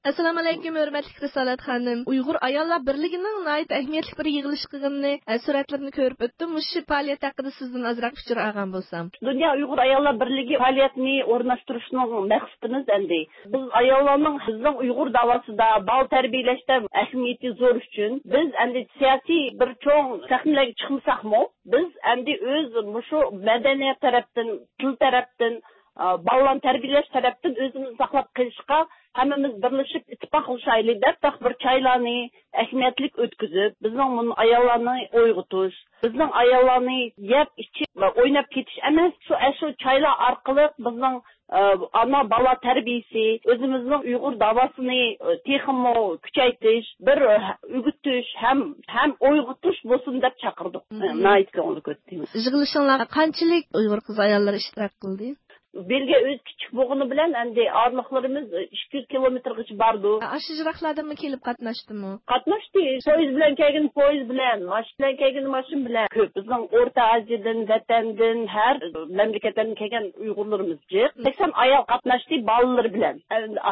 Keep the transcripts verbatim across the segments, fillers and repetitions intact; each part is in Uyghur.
ئەسسالامۇ ئەلەيكۇم، ھۆرمەتلىك رىسالەت خانىم. ئۇيغۇر ئاياللار بىرلىكىنىڭ ناھايىتى ئەھمىيەتلىك بىر يىغىلىش قىلغىنىنى، ئە، سۈرەتلىرىنى كۆرۈپ ئۆتتۈم. مۇشۇ پائالىيەت ھەققىدە سىزدىن ئازراق پىكىر ئالغان بولسام. دۇنيا ئۇيغۇر ئاياللار بىرلىكى پائالىيەتنى ئورۇنلاشتۇرۇشنىڭ مەقسىتىمىز ئەمدى بىز ئاياللارنىڭ بىزنىڭ ئۇيغۇر داۋاسىدا، بالا تەربىيەلەشتە ئەھمىيىتى زور ئۈچۈن بىز ئەمدى سىياسىي بىر چوڭ سەھنىلەرگە چىقمىساقمۇ، بىز ئەمدى ئۆز مۇشۇ مەدەنىيەت تەرەپتىن، تىل تەرەپتىن، ئا، بالىلارنى تەربىيەلەش تەرەپتىن ئۆزىمىزنى ساقلاپ قېلىشقا ھەممىمىز بىرلىشىپ ئىتتىپاقلىشايلى دەپ، بىر چايلارنى ئەھمىيەتلىك ئۆتكۈزۈپ، بىزنىڭ مۇن-، ئاياللارنى ئويغىتىش، بىزنىڭ ئاياللارنى يەپ ئىچىپ ئويناپ كېتىش ئەمەس، شۇ، ئەشۇ چايلار ئارقىلىق بىزنىڭ، ئا، ئانا بالا تەربىيىسى، ئۆزىمىزنىڭ ئۇيغۇر داۋاسىنى، ئا، تېخىمۇ كۈچەيتىش، بىر، ئا، ئۆگىتىش ھەم، ھەم ئويغىتىش بولسۇن دەپ چاقىردۇق. مم. ناھايىتى كۆڭۈللۈك ئۆتتى. يىغىلىشىڭلارغا قانچىلىك ئۇيغۇر قىز ئاياللىرى ئىشتىراك قىلدى؟ بېلگىيە ئۆزى كىچىك بولغىنى بىلەن ئەمدى ئارىلىقلىرىمىز ئىككى يۈز كىلومېتىرغىچە بارىدۇ. ئاشۇ يىراقلاردىنمۇ كېلىپ قاتناشتىمۇ؟ قاتناشتى. پويىز بىلەن كەلگىنى پويىز بىلەن، ماشىنا بىلەن كەلگىنى ماشىنا بىلەن. كۆپ. بىزنىڭ ئورتا ئازىيەدىن، ۋەتەندىن، ھەر مەملىكەتلەردىن كەلگەن ئۇيغۇرلىرىمىز جىق. سەكسەن ئايال قاتناشتى بالىلىرى بىلەن.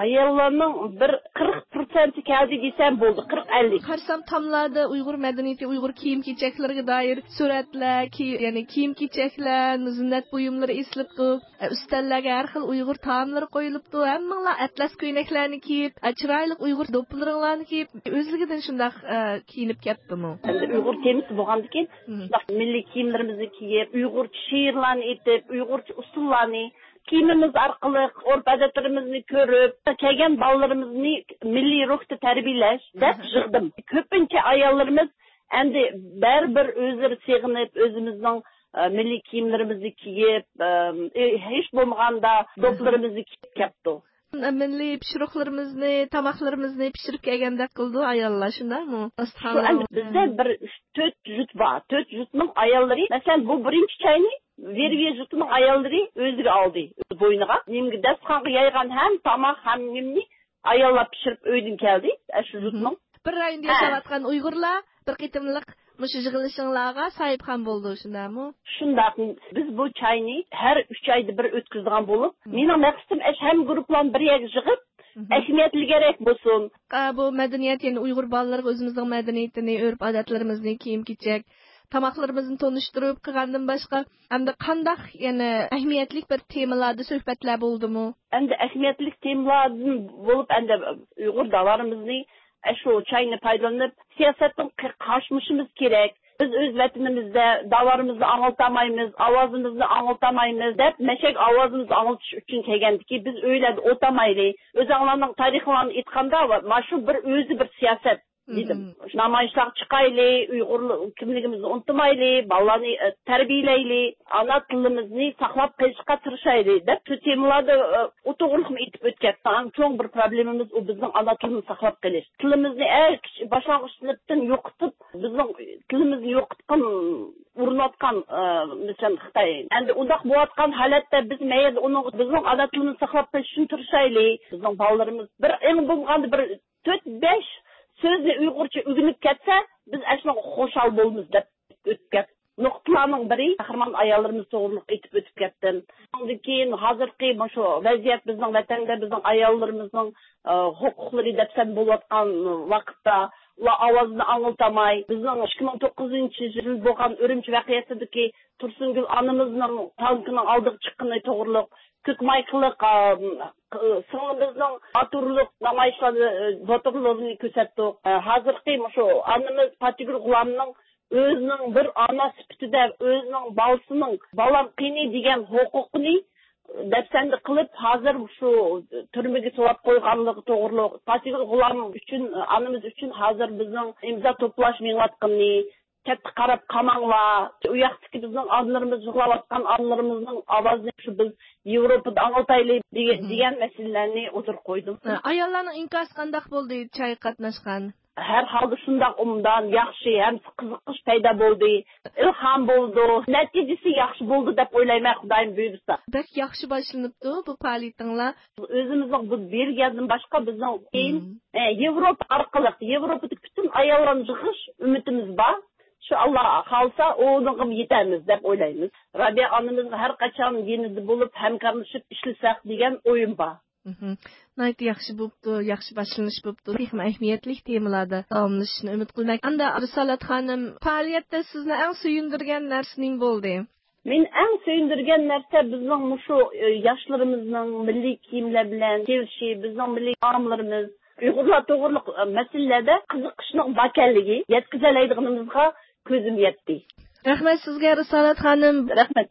ئاياللارنىڭ بىر قىرىق پىرسەنتى كەلدى دېسەم بولدى، قىرىق ئەللىك. قارىسام تاملاردا ئۇيغۇر مەدەنىيىتى، ئۇيغۇر كىيىم-كېچەكلىرىگە دائىر سۈرەتلەر، كى-، يەنى كىيىم-كېچەكلەر، زىننەت بۇيۇملىرى ئېسىلىپتۇ. ئە، ئۈستەللەرگە ھەر خىل ئۇيغۇر تائاملىرى قويۇلۇپتۇ. ھەممىڭلار ئەتلەس كۆينەكلەرنى كىيىپ، ئە، چىرايلىق ئۇيغۇر دوپپىلىرىڭلارنى كىيىپ، ئۆزلۈكىدىن شۇنداق، ئە، كىيىنىپ كەپتىمۇ؟ ئەمدى ئۇيغۇر تېمىسى بولغاندىكىن، مم. شۇنداق مىللىي كىيىملىرىمىزنى كىيىپ، ئۇيغۇرچە شېئىرلارنى ئېيتىپ، ئۇيغۇرچە ئۇسسۇللارنى، كىيىمىمىز ئارقىلىق ئۆرپ-ئادەتلىرىمىزنى كۆرۈپ، كەلگەن بالىلىرىمىزنى مىللىي روھتا تەربىيەلەش دەپ مم. يىغدىم. كۆپىنچە ئاياللىرىمىز ئەمدى بەرىبىر ئۆزلىرى سېغىنىپ، ئۆزىمىزنىڭ، ئە، مىللىي كىيىملىرىمىزنى كىيىپ، ئە، ھېچ بولمىغاندا دوپپىلىرىمىزنى كىيىپ كەپتۇ. مىللىي پىشۇرۇقلىرىمىزنى، تاماقلىرىمىزنى پىشۇرۇپ كەلگەندەك قىلىدۇ ئاياللار، شۇنداقمۇ؟ شۇ ئەمدى بىزدە بىر ئۈچ، تۆت جۇت بار. تۆت جۇتنىڭ ئاياللىرى، مەسىلەن، بۇ بىرىنچى چاينى ۋېرۋىيە جۇتىنىڭ ئاياللىرى ئۆزىگە ئالدى، ئۆز بوينىغا. نېمىگە داستىخانغا يايغان ھەم تاماق، ھەم نېمىنى ئاياللار پىشۇرۇپ ئۆيدىن كەلدى، ئە، شۇ جۇتنىڭ. بىر رايوندا ھە. ياشاۋاتقان ئۇيغۇرلار بىر قېتىملىق مۇشۇ يىغىلىشىڭلارغا ساھىبخان بولىدۇ، شۇنداقمۇ؟ شۇنداق. بىز بۇ چاينى ھەر ئۈچ ئايدا بىر ئۆتكۈزىدىغان بولۇپ، مم. مېنىڭ مەقسىتىم ئەش ھەممە گۇرۇپپىلارنى بىر يەرگە يىغىپ، مم. ئەھمىيەتلىكرەك بولسۇن. ئا، بۇ مەدەنىيەت، يەنى ئۇيغۇر بالىلىرىغا ئۆزىمىزنىڭ مەدەنىيىتىنى، ئۆرپ-ئادەتلىرىمىزنى، كىيىم-كېچەك، تاماقلىرىمىزنى تونۇشتۇرۇپ قىلغاندىن باشقا، ئەمدى قانداق يەنە ئەھمىيەتلىك بىر تېمىلاردا سۆھبەتلەر بولدىمۇ؟ ئەمدى ئەھمىيەتلىك تېمىلاردىن بولۇپ، ئەمدى ئۇيغۇر داۋالىرىمىزنى ئاشۇ چاينى پايدىلىنىپ، سىياسەتتىن قى-، قاچمىشىمىز كېرەك. بىز ئۆز ۋەتىنىمىزدە داۋالىرىمىزنى ئاڭلىتالمايمىز، ئاۋازىمىزنى ئاڭلىتالمايمىز دەپ، مەشەك ئاۋازىمىزنى ئاڭلىتىش ئۈچۈن كەلگەندىكى، بىز ئۆيلەردە ئولتۇرمايلى. ئۆزۈڭلارنىڭ تارىخىڭلارنى ئېيتقاندا، مانا شۇ بىر ئۆزى بىر سىياسەت. دېدىم. مم. نامايىشلارغا چىقايلى، ئۇيغۇر كىملىكىمىزنى ئۇنتۇمايلى، بالىلارنى، ئە، تەربىيەلەيلى، ئانا تىلىمىزنى ساقلاپ قېلىشقا تىرىشايلى دەپ شۇ تېمىلاردا، ئە، ئۇ توغرىلىقمۇ ئېيتىپ ئۆتكەن. ئەڭ چوڭ بىر پروبلېمىمىز ئۇ بىزنىڭ ئانا تىلىمىزنى ساقلاپ قېلىش. تىلىمىزنى ئەڭ كىچىك باشلانغۇچ سىنىپتىن يوقىتىپ، بىزنىڭ تىلىمىزنى يوقىتقان، ئۇرۇنۇۋاتقان، ئە، مەسىلەن، خىتاي. ئەمدى ئۇنداق بولۇۋاتقان ھالەتتە بىز مەيەردە ئۇنىڭ، بىزنىڭ ئانا تىلىمىزنى ساقلاپ قېلىش ئۈچۈن تىرىشايلى. بىزنىڭ بالىلىرىمىز بىر ئەڭ بولمىغاندا بىر تۆت، بەش سۆزنى ئۇيغۇرچە ئۆگىنىپ كەتسە، بىز ئەشۇنىڭغا خۇشال بولىمىز دەپ ئۆتۈپ كەتتى. نۇقتىلارنىڭ بىرى، قەھرىمان ئاياللىرىمىز توغرىلىق ئېيتىپ ئۆتۈپ كەتتىم. ئۇنىڭدىن كېيىن ھازىرقى مۇشۇ ۋەزىيەت، بىزنىڭ ۋەتەندە بىزنىڭ ئاياللىرىمىزنىڭ، ئە، ھوقۇقلىرى دەپسەندە بولۇۋاتقان ۋاقىتتا، ئۇلار ئاۋازىنى ئاڭلىتالماي، بىزنىڭ ئىككى مىڭ توققۇزىنچى يىل بولغان ئۈرۈمچى ۋەقەسىدىكى تۇرسۇنگۈل ئانىمىزنىڭ تانكىنىڭ ئالدىغا چىققىنى توغرۇلۇق، كۆك مايكىلىق، ئا، سىڭلىمىزنىڭ باتۇرلۇق نامايىشلارنى، باتۇرلۇقىنى كۆرسەتتۇق. ھازىرقى مۇشۇ ئانىمىز پاتىگۈل غۇلامنىڭ ئۆزىنىڭ بىر ئانا سۈپىتىدە ئۆزىنىڭ بالىسىنىڭ «بالام قېنى؟» دېگەن ھوقۇقىنى دەپسەندە قىلىپ، ھازىر شۇ تۈرمىگە سولاپ قويغانلىقى توغرۇلۇق، پاتىگۈل غۇلام ئۈچۈن، ئانىمىز ئۈچۈن ھازىر بىزنىڭ ئىمزا توپلاش مېڭىۋاتقىنى، چەتكە قاراپ قالماڭلار، ئۇ ياقتىكى بىزنىڭ ئانىلىرىمىز، يىغلاۋاتقان ئانىلىرىمىزنىڭ ئاۋازىنى شۇ بىز ياۋروپادا ئاڭلىتايلى دېگەن، مم، دېگەن مەسىلىلەرنى ئوتتۇرىغا قويدۇم. ھە، ئاياللارنىڭ ئىنكاسى قانداق بولدى، چايغا قاتناشقان؟ ھەر ھالدا شۇنداق ئوبدان، ياخشى ھەم قىزىقىش پەيدا بولدى. ئىلھام بولىدۇ. نەتىجىسى ياخشى بولدى دەپ ئويلايمەن، خۇدايىم بۇيرۇسا. بەك ياخشى باشلىنىپتۇ بۇ پائالىيىتىڭلار. ئۆزىمىزنىڭ بۇ بېلگىيەدىن باشقا بىزنىڭ كېيىن، مم، ئە، ياۋروپا ئارقىلىق، ياۋروپادىكى پۈتۈن ئاياللارنى يىغىش ئۈمىدىمىز بار. شۇ ئاللا خالىسا، ئۇنىڭغىمۇ يېتەرمىز دەپ ئويلايمىز. رابىيە ئانىمىزنىڭ ھەر قاچان يېنىدا بولۇپ، ھەمكارلىشىپ ئىشلىسەك دېگەن ئويۇم بار. مھم. ناھايىتى ياخشى بوپتۇ، ياخشى باشلىنىش بوپتۇ. تېخىمۇ ئەھمىيەتلىك تېمىلاردا داۋاملىشىشىنى ئۈمىد قىلىمەن. ئەمدى رىسالەت خانىم، پائالىيەتتە سىزنى ئەڭ سۆيۈندۈرگەن نەرسە نېمە بولدى؟ مېنى ئەڭ سۆيۈندۈرگەن نەرسە بىزنىڭ مۇشۇ، ئە، ياشلىرىمىزنىڭ مىللىي كىيىملەر بىلەن كېلىشى، بىزنىڭ مىللىي تائاملىرىمىز، ئۇيغۇرلار توغرىلىق، ئە، مەسىلىلەردە قىزىقىشنىڭ باركەنلىكى، يەتكۈزەلەيدىغىنىمىزغا كۆزۈم يەتتى. رەھمەت سىزگە، رىسالەت خانىم. رەھمەت.